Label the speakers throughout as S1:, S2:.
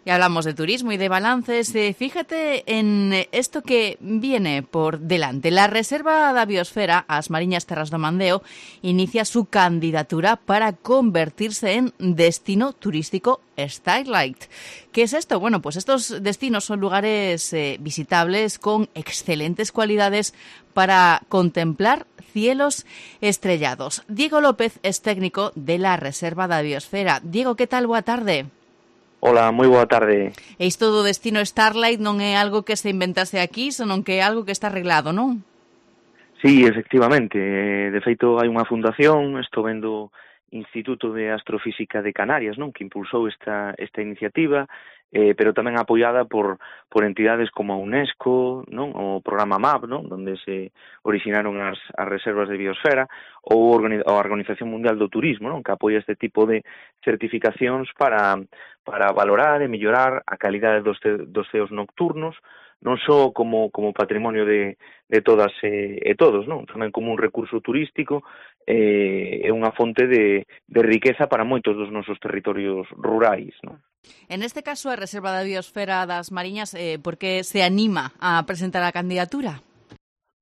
S1: Y hablamos de turismo y de balances. Fíjate en esto que viene por delante. La Reserva da Biosfera, as Mariñas Terras do Mandeo, inicia su candidatura para convertirse en destino turístico Starlight. ¿Qué es esto? Bueno, pues estos destinos son lugares visitables con excelentes cualidades para contemplar cielos estrellados. Diego López es técnico de la Reserva da Biosfera. Diego, ¿qué tal? Boa tarde.
S2: Hola, moi boa tarde.
S1: E isto do destino Starlight non é algo que se inventase aquí, senón que é algo que está arreglado, non?
S2: Sí, efectivamente. De feito, hai unha fundación, estou vendo Instituto de Astrofísica de Canarias, non, que impulsou esta iniciativa, pero tamén apoiada por entidades como a UNESCO, non, o programa MAP, non, onde se originaron as reservas de biosfera, ou a Organización Mundial do Turismo, non, que apoia este tipo de certificacións para valorar e mellorar a calidade dos ceos nocturnos, non só como patrimonio de todas e todos, non? Tamén como un recurso turístico e unha fonte de riqueza para moitos dos nosos territorios rurais, non?
S1: En este caso, a Reserva da Biosfera das Mariñas, por que se anima a presentar a candidatura?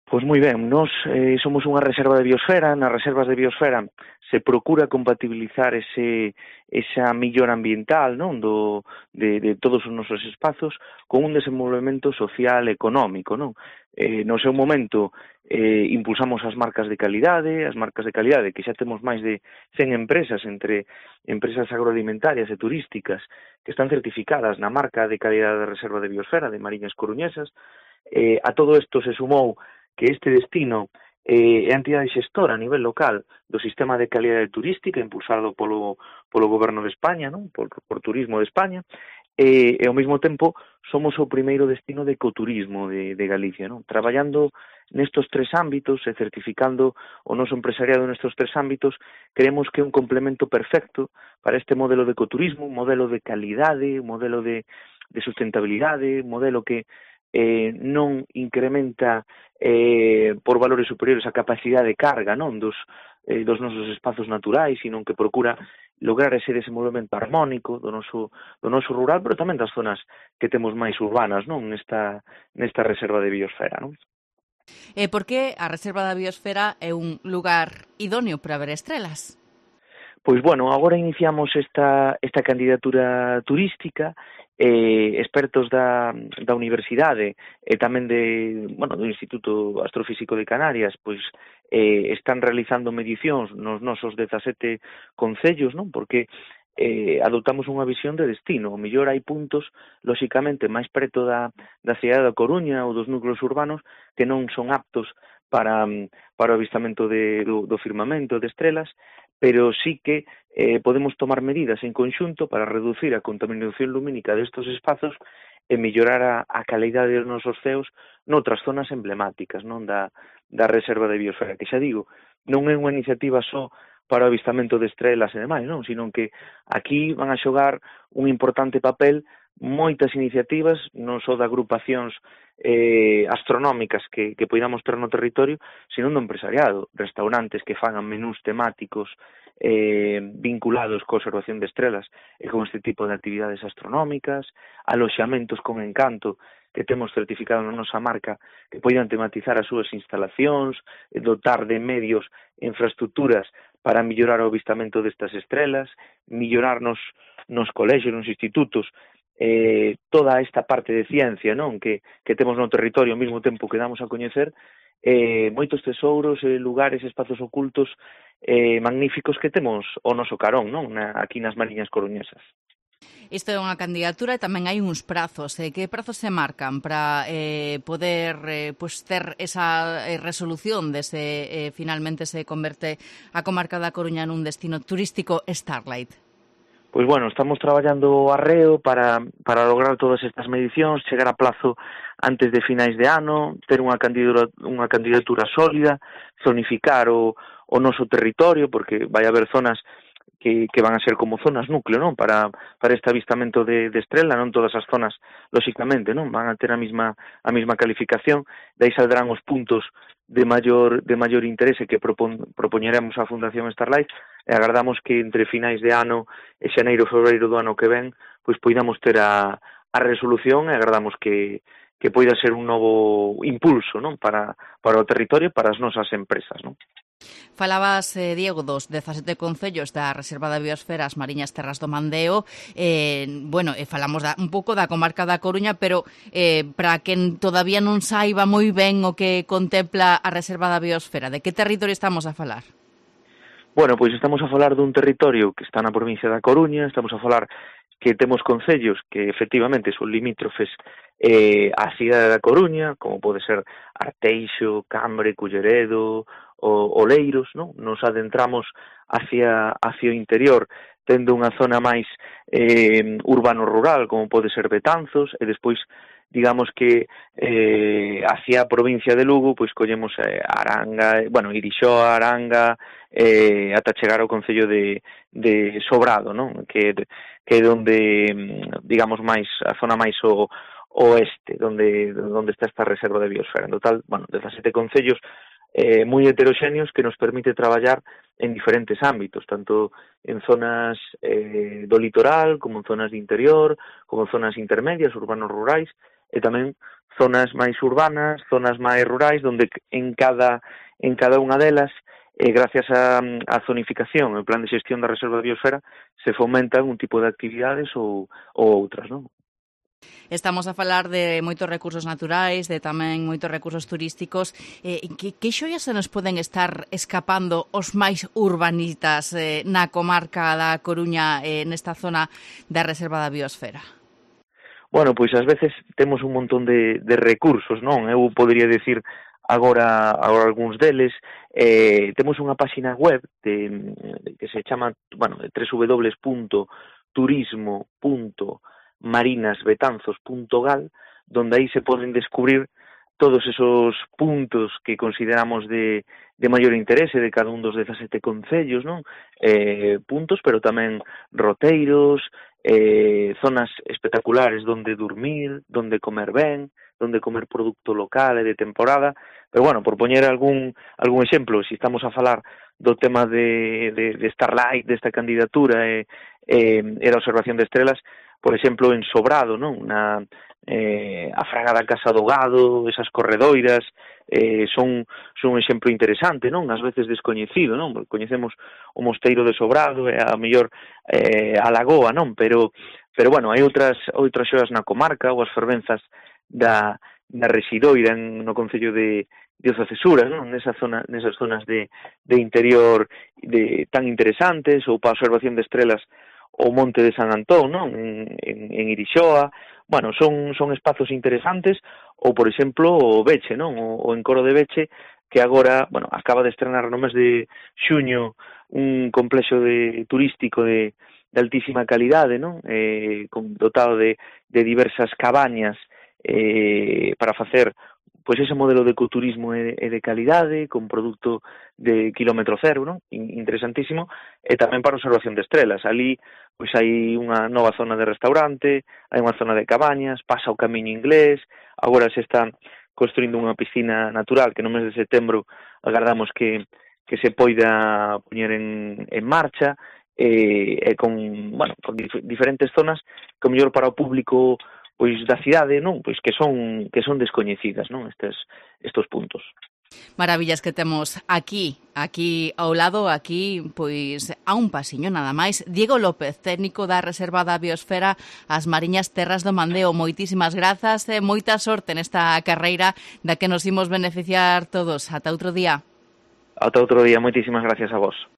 S2: Pois moi ben, nós somos unha reserva de biosfera. Nas reservas de biosfera se procura compatibilizar esa millora ambiental, non, de todos os nosos espazos con un desenvolvemento social e económico, non? No seu momento impulsamos as marcas de calidade que xa temos máis de 100 empresas, entre empresas agroalimentarias e turísticas que están certificadas na marca de calidade de reserva de biosfera de Mariñas Coruñesas. A todo isto se sumou que este destino é a entidade xestora a nivel local do sistema de calidade turística impulsado polo Goberno de España, non? Por Turismo de España, e ao mesmo tempo somos o primeiro destino de ecoturismo de Galicia, non? Traballando nestos tres ámbitos e certificando o noso empresariado nestos tres ámbitos, creemos que é un complemento perfecto para este modelo de ecoturismo, un modelo de calidade, un modelo de sustentabilidade, un modelo que non incrementa por valores superiores a capacidade de carga, non, dos nosos espazos naturais, sino que procura lograr ese desenvolvemento harmónico do noso rural, pero tamén das zonas que temos máis urbanas, non, nesta reserva de biosfera, non?
S1: Por que a Reserva da Biosfera é un lugar idóneo para ver estrelas?
S2: Pois, bueno, agora iniciamos esta candidatura turística. Expertos da Universidade e tamén do Instituto Astrofísico de Canarias pois están realizando medicións nos nosos 17 concellos, non? Porque adoptamos unha visión de destino. O mellor hai puntos, lóxicamente, máis preto da cidade da Coruña ou dos núcleos urbanos que non son aptos para o avistamento do firmamento de estrelas, pero sí que podemos tomar medidas en conxunto para reducir a contaminación lumínica destes espazos e mellorar a calidade dos nosos ceos noutras zonas emblemáticas, non, da reserva de biosfera, que xa digo, non é unha iniciativa só para o avistamento de estrelas e demais, non, sino que aquí van a xogar un importante papel moitas iniciativas, non só de agrupacións astronómicas que poidamos ter no territorio, sino do empresariado, restaurantes que fagan menús temáticos vinculados coa observación de estrelas e con este tipo de actividades astronómicas, aloxamentos con encanto que temos certificado na nosa marca que poidan tematizar as súas instalacións, dotar de medios e infraestructuras para mellorar o avistamento destas estrelas, mellorar nos colexios, nos institutos, toda esta parte de ciencia, non, que temos no territorio ao mesmo tempo que damos a coñecer moitos tesouros, lugares, espazos ocultos magníficos que temos ao noso carón, non, aquí nas Mariñas Coruñesas.
S1: Isto é unha candidatura e tamén hai uns prazos. Que prazos se marcan para poder ter esa resolución de se finalmente se converte a comarca da Coruña nun destino turístico Starlight?
S2: Pois, bueno, estamos traballando arreo para lograr todas estas medicións, chegar a plazo antes de finais de ano, ter unha candidatura sólida, zonificar o noso territorio, porque vai haber zonas que van a ser como zonas núcleo, non? Para este avistamento de estrela, non todas as zonas, lóxicamente, non? Van a ter a mesma calificación, dai saldrán os puntos de maior interese que propoñeremos á Fundación Starlight, e agardamos que entre finais de ano e xaneiro, febreiro do ano que ven, pois poidamos ter a resolución, e agardamos que poida ser un novo impulso, non? Para o territorio e para as nosas empresas, non?
S1: Falabas, Diego, dos 17 concellos da Reserva da Biosfera as Mariñas Terras do Mandeo. Falamos un pouco da comarca da Coruña, pero para quen todavía non saiba moi ben o que contempla a Reserva da Biosfera, de que territorio estamos a falar?
S2: Bueno, pois estamos a falar dun territorio que está na provincia da Coruña, estamos a falar que temos concellos que efectivamente son limítrofes á cidade da Coruña, como pode ser Arteixo, Cambre, Culleredo, Oleiros, non? Nos adentramos hacia o interior, tendo unha zona máis urbano-rural, como pode ser Betanzos, e despois, digamos que hacia a provincia de Lugo, pois collemos Aranga, Irixoa, Aranga, ata chegar ao concello de Sobrado, non? Que é onde, digamos, máis a zona máis oeste, onde está esta reserva de biosfera. En total, 17 concellos moi heteroxéneos que nos permite traballar en diferentes ámbitos, tanto en zonas do litoral, como en zonas de interior, como en zonas intermedias, urbanos rurais, e tamén zonas máis urbanas, zonas máis rurais, onde en cada unha delas, gracias á zonificación, o plan de xestión da reserva de biosfera, se fomentan un tipo de actividades ou outras, non?
S1: Estamos a falar de moitos recursos naturais, de tamén moitos recursos turísticos. Que xoias se nos poden estar escapando os máis urbanistas na comarca da Coruña, nesta zona da Reserva da Biosfera?
S2: Bueno, pois ás veces temos un montón de recursos, non? Eu podería decir agora algúns deles. Temos unha páxina web que se chama, www.turismo.marinasbetanzos.gal, donde aí se poden descubrir todos esos puntos que consideramos de maior interese de cada un dos 17 concellos, non? Puntos, pero tamén roteiros, zonas espectaculares donde dormir, donde comer ben, donde comer producto local e de temporada. Pero, por poñer algún exemplo, se estamos a falar do tema de Starlight, desta candidatura e da observación de estrelas, por exemplo, en Sobrado, non? A Fraga da Casa do Gado, esas corredoiras, son un exemplo interesante, non? Ás veces descoñecido, non? Coñecemos o Mosteiro de Sobrado e a mellor a Lagoa, non? Pero hai outras xoas na comarca, ou as fervenzas da Residoira no concello de Ocesura, non? Nesas zonas de interior tan interesantes, ou para a observación de estrelas o Monte de San Antón, non? En Irixoa. Son espazos interesantes, ou, por exemplo, o Beche, non? O Encoro de Beche, que agora, acaba de estrenar no mes de xuño un complexo turístico de altísima calidade, non? Dotado de diversas cabañas para facer pois ese modelo de ecoturismo e de calidade, con produto de kilómetro cero, non? Interesantísimo, e tamén para observación de estrelas. Ali pois hai unha nova zona de restaurante, hai unha zona de cabañas, pasa o Camiño Inglés, agora se está construindo unha piscina natural que no mes de setembro agardamos que se poida poñer en marcha, e con diferentes zonas que o mellor para o público pois da cidade, non, pois que son descoñecidas, non, estos puntos.
S1: Maravillas que temos aquí ao lado, pois a un pasiño nada máis. Diego López, técnico da Reserva da Biosfera as Mariñas Terras do Mandeo. Moitísimas grazas e moita sorte nesta carreira da que nos imos beneficiar todos. Ata outro día.
S2: Ata outro día, moitísimas gracias a vos.